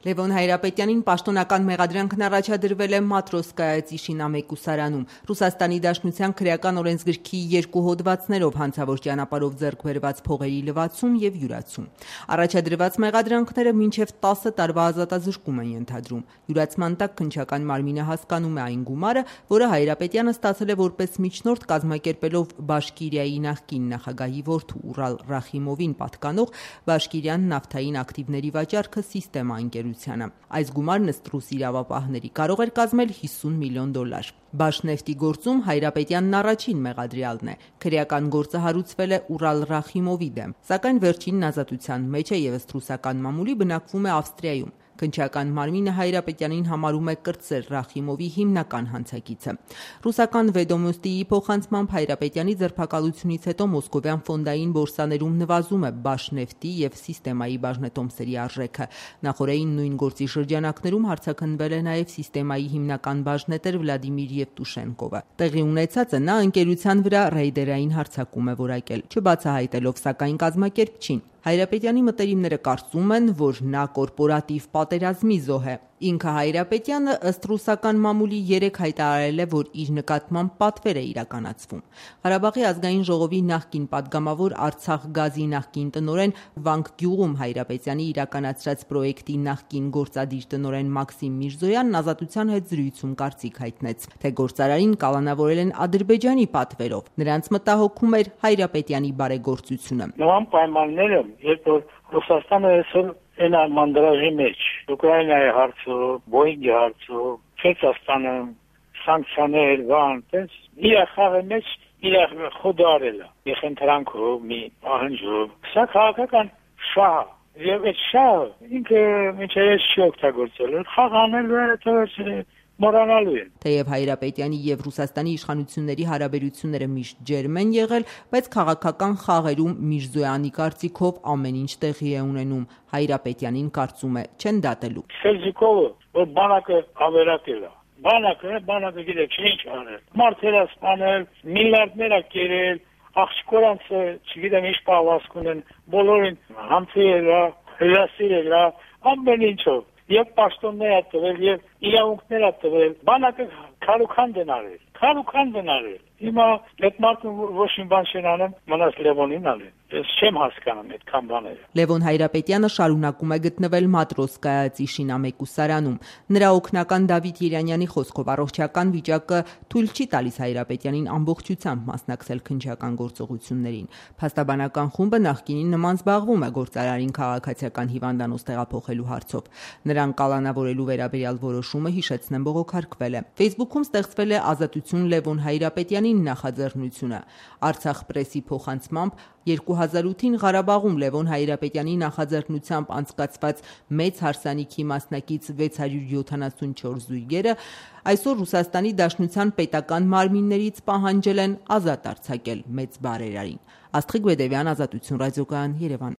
Լևոն Հայրապետյանին պաշտոնական մեղադրանքն առաջադրվել է Մատրոսկայա Տիշինա մեկուսարանում։ Ռուսաստանի Դաշնության քրեական օրենսգրքի 2 հոդվածներով հանցավոր ճանապարհով ձեռք բերված փողերի լվացում եւ յուրացում։ Առաջադրված մեղադրանքները մինչեւ 10 տարվա ազատազրկում են ենթադրում։ Յուրացման տակ քննչական մարմինը հասկանում է այն գումարը, որը Հայրապետյանը ստացել է որպես միջնորդ կազմակերպելով Բաշկիրիայի նախկին նախագահի որդու Ուրալ Ռախիմովին պատկանող Բաշկիրյան նավթային ակտիվների վաճառքը Սիստեմա ընկերությանը։ Այս գումարն ըստ ռուս իրավապահների կարող էր կազմել $50 միլիոն։ Բաշնեֆտի գործում Հայրապետյանն առաջին մեղադրյալն է։ Քրեական գործը հարուցվել է Ուրալ Ռախիմովի դեմ, սակայն վերջինն ազատության մեջ է եւ ըստ ռուսական մամուլի բնակվում է Ավստրիայում։ Քննչական մարմինը Հայրապետյանին համարում է կրտսեր Ռախիմովի հիմնական հանցագիծը։ Ռուսական Վեդոմոստիի փոխանցմամբ Հայրապետյանի ձերբակալությունից հետո մոսկովյան ֆոնդային բորսաներում նվազում է Բաշնեֆտի եւ Սիստեմայի բաժնետոմսերի արժեքը։ Նախորդին նույն գործի շրջանակներում հարցաքննվել է նաեւ Սիստեմայի հիմնական բաժնետեր Վլադիմիր Եվտուշենկովը։ Տեղի ունեցածը նա ընկերության վրա ռեյդերային հարձակում է որակել, չբացահայտելով սակայն կազմակերպչին։ Հայրապետյանի մտերիմները կարծում են, որ նա կորպորատիվ պատերազմի զոհ է։ Ինքը Հայրապետյանը ըստ ռուսական մամուլի 3 հայտարարել է, որ իր նկատմամբ պատվեր է իրականացվում։ Ղարաբաղի ազգային ժողովի նախկին падգամավոր Արցախ գազի նախկին տնօրեն Վանք գյուղում Հայրապետյանի իրականացրած պրոյեկտի նախկին գործադիր տնօրեն Մաքսիմ Միրզոյանն ազատության հետ զրույցում կարծիք հայտնեց, թե գործարարին կալանավորել են Ադրբեջանի պատվերով։ Նրանց մտահոգում էր Հայրապետյանի բարեգործությունը։ Նման պայմանները, երբ որ Ռուսաստանը այսօր այն մանդրաժի մեջ, Ուկրաինայի հարցով, Բոյինգի հարցով, Չեչաստանը, սանկցիաներ, տես իր խաղի մեջ իր խոդարել է, ეხենտրանքով, մի ահնջով։ Սա քաղաքական շահ է, եւ այդ շահը ինքը միջև չի օգտագործել, խաղ անելու է, թե մոռանալու են։ Թեև Հայրապետյանի եւ Ռուսաստանի իշխանությունների հարաբերությունները միշտ ջերմ են եղել, բայց քաղաքական խաղերում Միրզոյանի կարծիքով ամեն ինչ տեղի է ունենում։ Հայրապետյանին կարծում է չեն դատելու։ Սելջիկովը, որ բանակը ավերակել է, բանակը գիտեք ինչ անել։ Մարդերը սպանել, միլիարդներ կերել, աղջկորանցը, չգիտեմ ինչ պահվածք ունեն, բոլորին համցել, հրասիրել, ամեն ինչով։ Եվ պաշտոններ է տվել, եւ իրավունքներ է տվել, բանակը քարուքան դնարել։ Հիմա այդ մարդը ոչ մի բան չեն անում, մնաց Լևոնին ալեն։ Ես չեմ հասկանում այդքան բաները։ Լևոն Հայրապետյանը շարունակում է գտնվել Մատրոսկայա Տիշինա մեկուսարանում։ Նրա օգնական Դավիթ Երանյանի խոսքով առողջական վիճակը թույլ չի տալիս Հայրապետյանին ամբողջությամբ մասնակցել քննչական գործողություններին։ Փաստաբանական խումբը նախկինին նման զբաղվում է գործարարին քաղաքացիական հիվանդանոց տեղափոխելու հարցով։ Նրան կալանավորելու վերաբերյալ որոշումը հիշեցնեմ բողոքարկվել է։ Facebook-ում ստեղծվել է Ազատություն Լևոն Հայրապետյանին նախաձեռնությունը։ Արցախ պրեսի փոխանցմամբ 2008-ին Ղարաբաղում Լևոն Հայրապետյանի նախաձեռնությամբ անցկացված մեծ հարսանիքի մասնակից 674 զույգերը այսօր Ռուսաստանի Դաշնության պետական մարմիններից պահանջել են ազատ արձակել մեծ բարերարին։ Աստղիկ Բեդևյան, Ազատություն ռադիոկայան, Երևան։